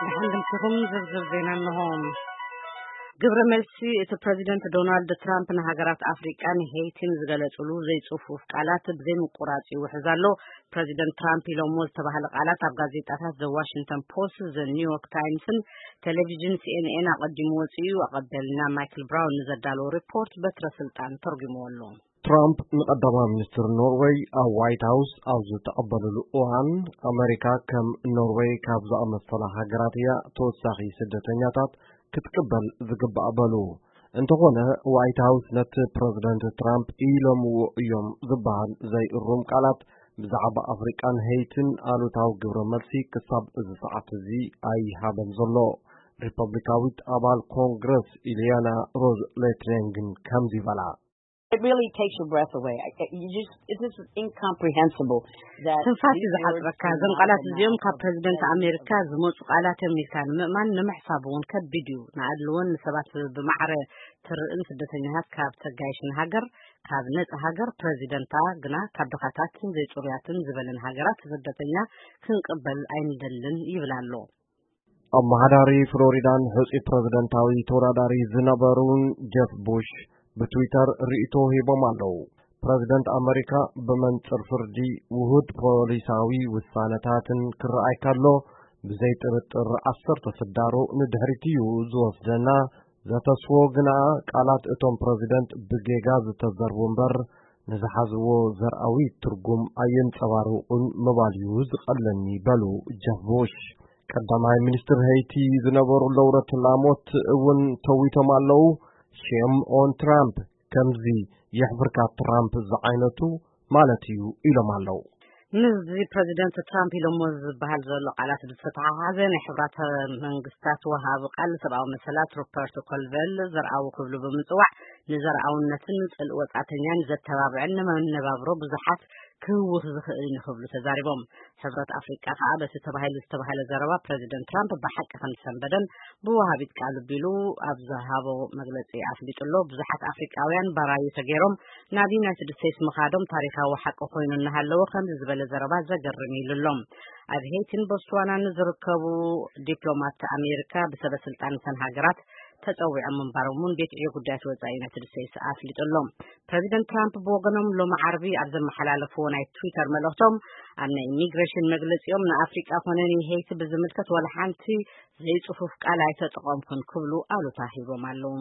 ብሓንድምትኹም ዝርዝር ዜና እንሆ። ግብረ መልሲ እቲ ፕረዚደንት ዶናልድ ትራምፕ ንሃገራት ኣፍሪቃን ሄይቲን ዝገለጹሉ ዘይጽፉፍ ቃላት ብዘይምቁራጽ ይውሕዝ ኣሎ። ፕረዚደንት ትራምፕ ኢሎሞ ዝተባህለ ቃላት ኣብ ጋዜጣታት ዘ ዋሽንግተን ፖስት፣ ዘ ኒውዮርክ ታይምስን ቴሌቪዥን ሲኤንኤን ኣቐዲሙ ወጺኡ። ኣቐበልና ማይክል ብራውን ንዘዳለዎ ሪፖርት በትረ ስልጣን ተርጉምዎ ኣሎ። ትራምፕ ንቀዳማይ ሚኒስትር ኖርወይ ኣብ ዋይት ሃውስ ኣብ ዝተቐበልሉ እዋን፣ ኣመሪካ ከም ኖርወይ ካብ ዝኣመሰላ ሃገራት እያ ተወሳኺ ስደተኛታት ክትቅበል ዝግባእ በሉ። እንተኾነ፣ ዋይት ሃውስ ነቲ ፕረዚደንት ትራምፕ ኢሎምዎ እዮም ዝበሃል ዘይእሩም ቃላት ብዛዕባ ኣፍሪቃን ሄይትን ኣሉታዊ ግብረ መልሲ ክሳብ እዚ ሰዓት እዚ ኣይሃበን ዘሎ። ሪፐብሊካዊት ኣባል ኮንግረስ ኢልያና ሮዝ ሌትሬንግን ከምዚ በላ። It really takes your breath away. I- I- You just, it is incomprehensible that ትንፋስ እዩ ዝሓፅረካ። እዞም ቃላት እዚኦም ካብ ፕረዚደንት ኣሜሪካ ዝመፁ ቃላት እዮም ኢልካ ንምእማን ንምሕሳብ እውን ከቢድ እዩ። ንኣድልዎን ንሰባት ብማዕረ ትርእን ስደተኛታት ካብ ተጋይሽ ንሃገር፣ ካብ ነፃ ሃገር፣ ፕረዚደንታ ግና ካብ ድኻታትን ዘይፅሩያትን ዝበለን ሃገራት ስደተኛ ክንቅበል ኣይንደልን ይብል ኣሎ። ኣመሓዳሪ ፍሎሪዳን ሕጹይ ፕረዚደንታዊ ተወዳዳሪ ዝነበሩን ጀፍ ቡሽ ብትዊተር ርእይቶ ሂቦም ኣለዉ። ፕረዚደንት ኣመሪካ ብመንጽር ፍርዲ ውሁድ ፖሊሳዊ ውሳነታትን ክረኣይ ከሎ፣ ብዘይ ጥርጥር ዓሰርተ ስዳሩ ንድሕሪት እዩ ዝወስደና። ዘተስፎ ግና ቃላት እቶም ፕረዚደንት ብጌጋ ዝተዘርቡ እምበር ንዝሓዝዎ ዘርኣዊ ትርጉም ኣየንጸባርቑን ምባል እዩ ዝቐለኒ በሉ ጀፍ ቡሽ። ቀዳማይ ሚኒስትር ሄይቲ ዝነበሩ ለውረት ላሞት እውን ተዊቶም ኣለዉ። ሼም ኦን ትራምፕ፣ ከምዚ የሕፍርካ ትራምፕ ዝዓይነቱ ማለት እዩ ኢሎም ኣለዉ። ምስዚ ፕረዚደንት ትራምፕ ኢሎሞ ዝበሃል ዘሎ ቃላት ብዝተተሓሓዘ ናይ ሕብራት መንግስታት ወሃቢ ቃል ሰብኣዊ መሰላት ሮበርት ኮልቨል ዘርኣዊ ክብሉ ብምጽዋዕ ንዘርኣውነትን ጽልኢ ወጻእተኛን ዘተባብዕን ንመነባብሮ ብዙሓት ክህውኽ ዝኽእል እዩ ክብሉ ተዛሪቦም። ሕብረት ኣፍሪቃ ከኣ በቲ ተባሂሉ ዝተባህለ ዘረባ ፕረዚደንት ትራምፕ ብሓቂ ከምዝሰንበደን ብወሃቢት ቃሉ ቢሉ ኣብ ዝሃቦ መግለጺ ኣፍሊጡ ኣሎ። ብዙሓት ኣፍሪቃውያን ባራዩ ተገይሮም ናብ ዩናይትድ ስቴትስ ምኻዶም ታሪኻዊ ሓቂ ኮይኑ እናሃለወ ከምዚ ዝበለ ዘረባ ዘገርም ኢሉ ኣሎ። ኣብ ሄይቲን ቦትስዋናን ዝርከቡ ዲፕሎማት ኣሜሪካ ብሰበ ስልጣን እተን ሃገራት ተጸዊዖም ምንባሮም እውን ቤት ዕዮ ጉዳያት ወጻኢ ዩናይትድ ስቴትስ ኣፍሊጡ ኣሎ። ፕረዚደንት ትራምፕ ብወገኖም ሎሚ ዓርቢ ኣብ ዘመሓላለፍዎ ናይ ትዊተር መልእኽቶም ኣብ ናይ ኢሚግሬሽን መግለጺኦም ንኣፍሪቃ ኮነ ንሄይቲ ብዝምልከት ዋላ ሓንቲ ዘይጽፉፍ ቃል ኣይተጠቐምኩን ክብሉ ኣሉታ ሂቦም ኣለዉ።